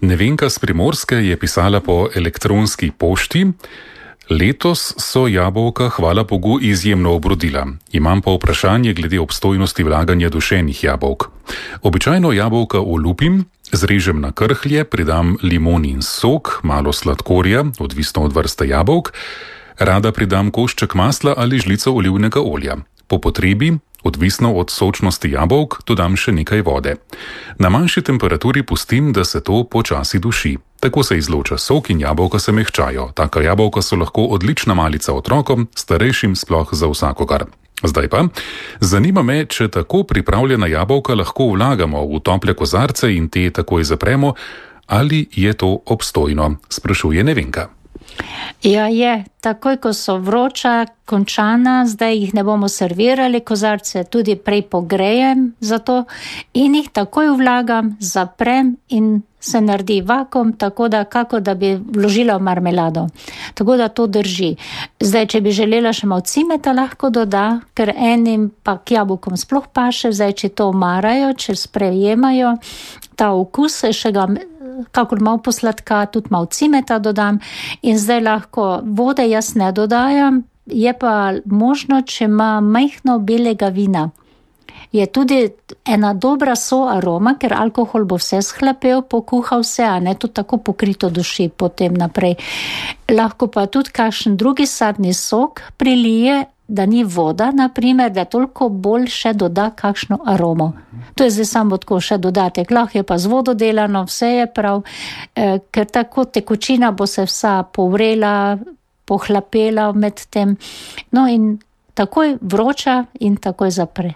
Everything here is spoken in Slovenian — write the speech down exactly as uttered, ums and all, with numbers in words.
Nevenka s Primorske je pisala po elektronski pošti. Letos so jabolka, hvala Bogu, izjemno obrodila. Imam pa vprašanje glede obstojnosti vlaganja dušenih jabolk. Običajno jabolka olupim, zrežem na krhlje, pridam limonin sok, malo sladkorja, odvisno od vrste jabolk, rada pridam košček masla ali žlico olivnega olja. Po potrebi, odvisno od sočnosti jabolk, dodam še nekaj vode. Na manjši temperaturi pustim, da se to počasi duši. Tako se izloča sok in jabolka se mehčajo. Taka jabolka so lahko odlična malica otrokom, starejšim sploh za vsakogar. Zdaj pa, zanima me, če tako pripravljena jabolka lahko vlagamo v tople kozarce in te takoj zapremo, ali je to obstojno, sprašuje Nevenka. Ja, je. Takoj, ko so vroča, končana, zdaj jih ne bomo servirali, kozarce tudi prej pogrejem za to in jih takoj vlagam, zaprem in se naredi vakuum, tako da kako da bi vložila v marmelado. Tako da to drži. Zdaj, če bi želela še malo cimeta, lahko doda, ker enim pa k jabolkom sploh paše, zdaj, če to marajo, če sprejemajo ta okus, še ga kakor malo posladka, tudi malo cimeta dodam in zdaj lahko vode jaz ne dodajam, je pa možno, če ima majhno belega vina. Je tudi ena dobra so aroma, ker alkohol bo vse shlapel, pokuhal vse, a ne to tako pokrito duši potem naprej. Lahko pa tudi kakšen drugi sadni sok prilije, da ni voda, naprimer, da toliko bolj še doda kakšno aromo. To je zdaj samo tako še dodatek. Lahko je pa z vodo delano, vse je prav, eh, ker tako tekočina bo se vsa povrela, pohlapela med tem. No in takoj vroča in takoj zapre.